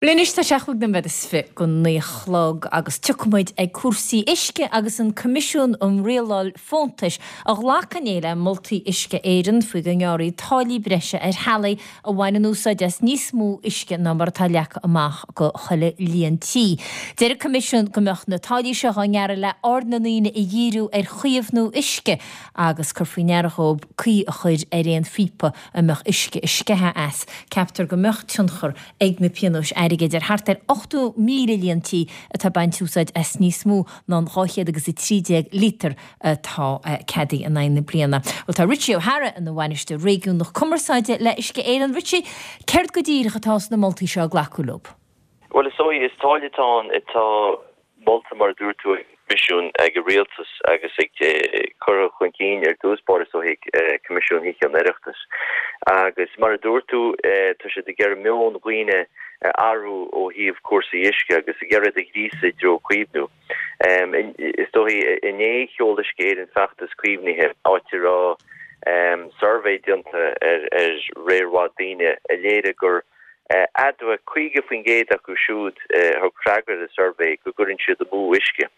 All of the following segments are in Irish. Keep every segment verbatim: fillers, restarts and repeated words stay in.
Anois tá sé chúig nóiméad is fiche go naoi a chlog agus tiocfaidh muid ag cúrsaí uisce agus an Coimisiún um Rialáil Fóntais a ghlac inné le moltaí Uisce Éireann faoi go ngearrfaí táillí breise ar theaghlaigh a bhaineann úsáid as níos mó uisce ná mar atá leagtha amach go chuile líon tí. Deir an Coimisiún go mbeadh na táillí seo á ngearradh le aird na ndaoine a dhíriú ar chaomhnú uisce agus cur faoi ndeara dhóibh caoi a chur ar aon phíopa a mbeadh uisce ag sceitheadh as. Ceaptar go mbeadh tionchar ag na pionóis airgid ar thart ar ochtó míle líon tí atá ag baint úsáid as níos mó ná an dhá chéad agus a trí déag lítear atá ceadaithe in aghaidh na bliana. Bhuel tá Richie O'Hara ina bhainisteoir réigiúnach cumarsáide le Uisce Éireann. Richie, céard go díreach atá sna moltaí seo a glacadh leo? Bhuel is dóigh is táille atá ann atá molta mar a dúirt tú ag Coimisiún ag an Rialtas agus ag curtha chun cinn ar dtús báire is dóigh ag Coimisiún Thithe an Oireachtais. Agus mar a dúirt tú tá siad ag iarraidh meon dhaoine a athrú ó thaobh cúrsaí uisce agus ag iarraidh iad a ghríosadh i dtreo caomhnú. Is dóigh inné sheol Uisce Éireann feachtas caomhnaithe áit a raibh suirbhé déanta ar ar réir mhaith daoine a léirigh gur admhaigh caoga faoin gcéad acu siúd a thug freagra ar an suirbhé go gcuireann siad amú uisce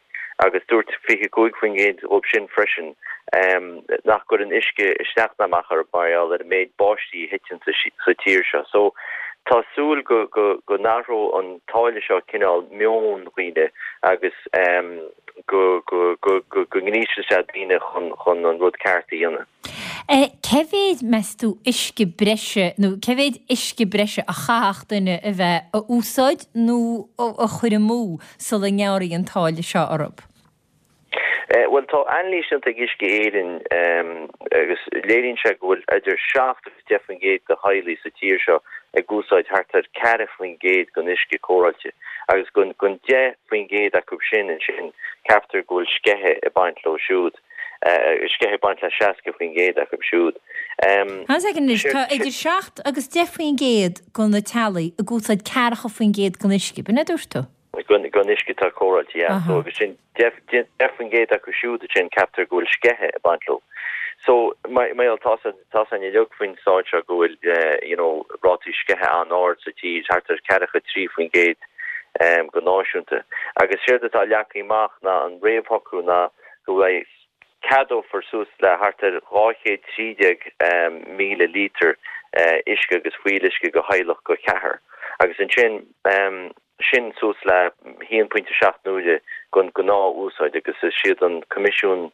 agus dúirt fiche cúig faoin gcéad dhóibh sin freisin nach gcuireann uisce isteach ná amach orthu mar gheall ar an méid báistí a thiteann sa tír seo. So tá súil go go go n-athródh an táille seo cineál meon dhaoine agus go go go go go ngríosfaidh sé daoine chun chun an rud ceart a dhéanamh. Cé mhéid, meas tú, uisce breise nó cé mhéid uisce breise a chaithfeadh duine a bheith a úsáid nó a chur amú sula ngearrfaí an táille seo orthu? Bhuel tá anailís déanta ag Uisce Éireann agus léiríonn sé go bhfuil idir seacht agus deich faoin gcéad de theaghlaigh sa tír seo ag úsáid thart ar ceathracha faoin gcéad den uisce cóireáilte agus gon deich faoin gcéad acu sin ansin ceaptar go bhfuil sceitheadh ag baint leo siúd, sceitheadh ag baint le seasca faoin gcéad acu siúd. Anois tá idir seacht agus deich faoin gcéad de na teaghlaigh ag úsáid ceathracha faoin gcéad den uisce, b'in a dúirt tú? Den uisce atá cóireáilte, yeah. So agus sin deich faoin gcéad acu siúd ansin ceaptar go bhfuil sceitheadh ag baint leo. So mar gheall tá a fhios againn uilig faoin staid seo go bhfuil you know rátaí sceithe an-ard sa tír, thart ar ceathracha trí faoin gcéad go náisiúnta. Agus séard atá leagtha amach ná an réamhshocrú ná go bhfuil ceadófar suas le thart ar dhá chéad trí déag míle lítear uisce agus fuíolluisce go theaghlach go ceathair. Agus ansin sin suas le haon pointe seacht n-uaire den ghnáth-úsáid agus is iad an Coimisiún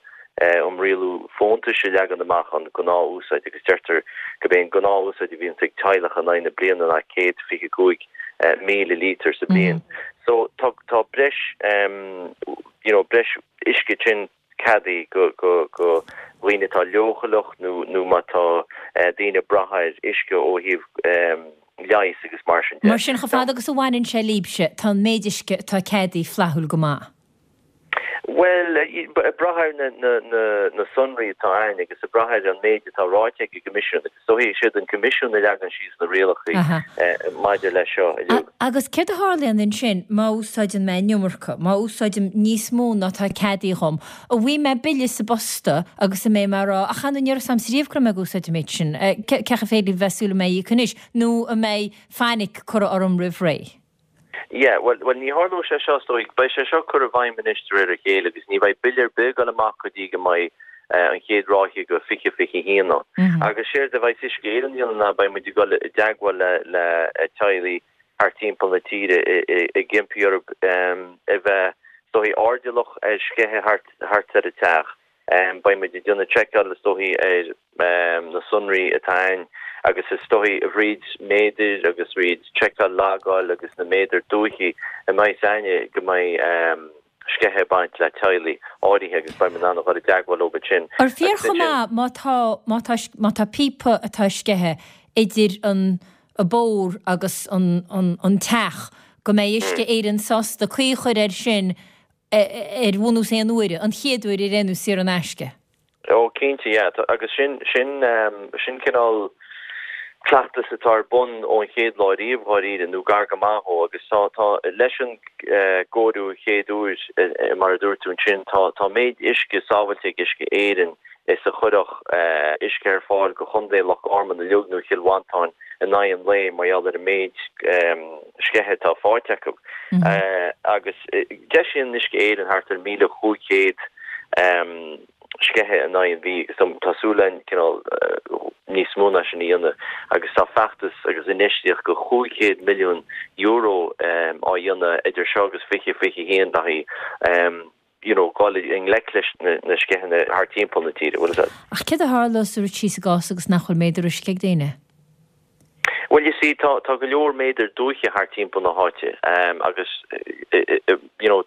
um Rialú Fóntais a leagann amach an ghnáth-úsáid agus deirtear gurb é an ghnáth-úsáid a bhíonns ag teaghlach in aghaidh na bliana ná céad fiche cúig míle lítear sa bhliain. So tá tá breis you know breis uisce sin ceadaithe go go go dhaoine atá leochaileach nó nó má tá daoine ag brath ar uisce ó thaobh leighis agus mar sin de. Mar sin, chomh fada agus a bhaineann sé libhse, tá an méid uisce atá ceadaithe flaithiúil go maith. Bhuel, ag brath ar na sonraí atá ann agus ag brath ar an méid atá ráite ag an gCoimisiún, agus is dóigh is iad an Coimisiún a leagann síos na rialacha maidir leis seo uilig. Agus céard a tharlaíonn ansin má úsáideann mé an iomarca, má úsáidim níos mó ná atá ceadaithe dhom? An bhfaighidh mé bille sa bposta agus an mbeidh mé ag rá, ach chan ní raibh a fhios a'msa riamh go raibh mé ag úsáid an méid sin, cé chomh féidir libh bheith ag súil go mbeidh íoc anois, nó an mbeidh fainic curtha orm roimh ré? Yeah, bhuel, bhuel ní tharlóidh sé seo, is dóigh. Beidh sé seo curtha i bhfeidhm anois de réir a chéile agus ní bheidh bille ar bith ag dul amach go dtí go mbeidh an chéad ráithe go fiche fiche haon ann. Agus séard a bheidh Uisce Éireann a dhéanamh ná beidh muid ag dul i dteagmháil le le teaghlaigh thart timpeall na tíre ag impí orthu a bheith, is dóigh, airdeallach ar sceitheadh thart thart ar an teach. Beidh muid ag déanamh seiceáil is dóigh ar na sonraí atá ann agus is dóigh fríd méadair agus fríd seiceáil logáil agus na méadair dúichí a mbeidh a fhios againne go mbeidh sceitheadh ag baint le teaghlaigh áirithe agus beidh muid in ann a dhul i dteagmháil leo ansin. Ar fíor chomh maith má tá má tá má tá píopa atá sceithe idir an bóthar agus an an an teach go mbeidh Uisce Éireann sásta caoi a chur air sin ar bhunús aon uaire, an chéad uair ar aon nós saor in aisce. Ó, cinnte, yeah. Agus sin, sin, sin cineál cleachtas atá ar bun ón chéad lá riamh, dháiríre, nó gar go maith dhó, agus tá, tá, leis an gcóiriú chéad uair, mar a dúirt tú ansin, tá, tá méid uisce sábhailte ag Uisce Éireann is a chuirfeadh uisce ar fáil go Chontae Loch Garman uilig nó Chill Mhantáin in aghaidh an lae mar gheall ar an méid sceithe atá faighte acu. Agus deisíonn Uisce Éireann thart ar míle chúig chéad sceithe in aghaidh an mhí agus tá súil againn cineál níos mó ná sin a dhéanamh agus tá feachtas agus infheistíocht go chúig chéad milliún euro á dhéanamh idir seo agus fiche fiche a haon le haghaidh you know dul i ngleic leis na sceitheanna thart timpeall na tíre, bhfuil fhios agat. Ach céard a tharlós sa rud síos i gcás agus nach bhfuil méadar uisce ag daoine? Well you see tá tá go leor méadar dúiche thart timpeall na háite um, agus you know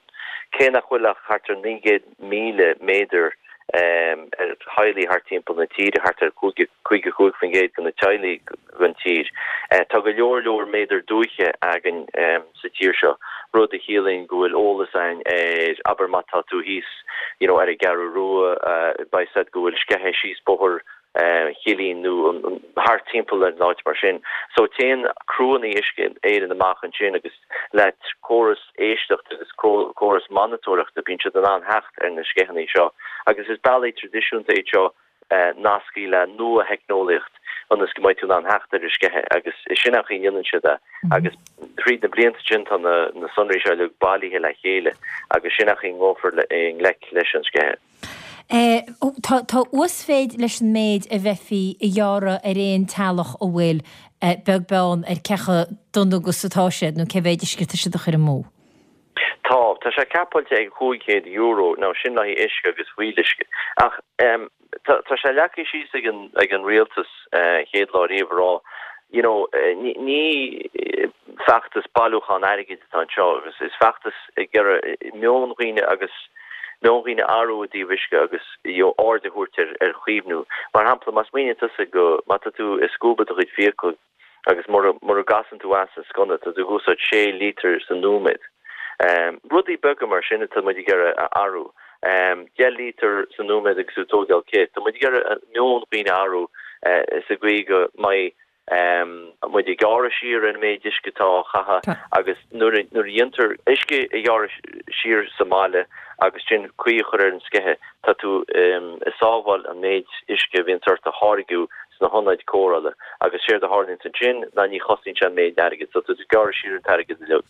cé nach bhfuil ach thart ar naoi gcéad míle méadar um, ar theaghlaigh thart timpeall na tíre thart ar cúig cúig cúig faoin gcéad de na teaghlaigh den tír. Uh, tá go leor leor méadar dúiche againn um, sa tír seo rud a chiallaíonn go bhfuil eolas againn ar abair má tá tú thíos you know, ar an gCeathrú Rua uh, beidh a fhios agat go bhfuil sceithe síos bóthar Chillín nó thart timpeall ar an áit mar sin. So téann criúnna Uisce Éireann amach ansin agus le córas éisteachta agus córas monatóireachta bíonn siad in ann theacht ar na sceitheanna seo. Agus is bealaí traidisiúnta é seo nasctha le nua-theicneolaíocht ionas go mbeidh tú in ann theacht ar sceithe agus is sin an chaoi a ndéanann siad é. Agus tríd na blianta sin tá na, na sonraí seo uilig bailithe le chéile agus sin an chaoi a ngabhfar i ngleic leis an sceithe. Eh, tá uasmhéid leis an méid a bheifí a ghearradh ar aon teaghlach a bhfuil eh, beag beann ar cé chomh dona agus atá siad nó cé mhéid uisce atá siad a chur amú. Tá tá sé capáilte ag cúig chéad euro nó sin le haghaidh uisce agus fuíolluisce. Ach um, tá sé leagtha síos ag an ag an rialtas uh, chéad lá riamh rá you know uh, ní, ní feachtas bailiúchán airgid atá anseo agus is feachtas ag iarraidh meon daoine agus meon daoine a athrú i dtaobh uisce agus aird a thabhairt ar ar chaomhnú. Mar shampla má smaoiníonn tusa go má tá tú ag scuabadh do chuid fiacal agus mura mura gcasann tú as an sconna tá tú ag úsáid sé lítear sa nóiméad. Um, rudaí beaga mar sin tá muid ag iarraidh a athrú. Um, deich lítear sa nóiméad agus tú ag tógáil cith, Tá muid ag iarraidh meon daoine a athrú uh, sa gcaoi go mbeidh um, muid ag gearradh siar an méid uisce atá á chaitheamh agus nuair a dhéantar uisce a ghearradh siar sa mbaile agus sin caoi a chur ar an sceithe tá tú um, ag sábháil an méid uisce a bhíonn ort a tháirgeadh sna hionaid cóireála agus séard a tharlaíonn ansin ná ní chosnaíonn sé an méid airgid so tú ag gearradh siar an t-airgead uilig.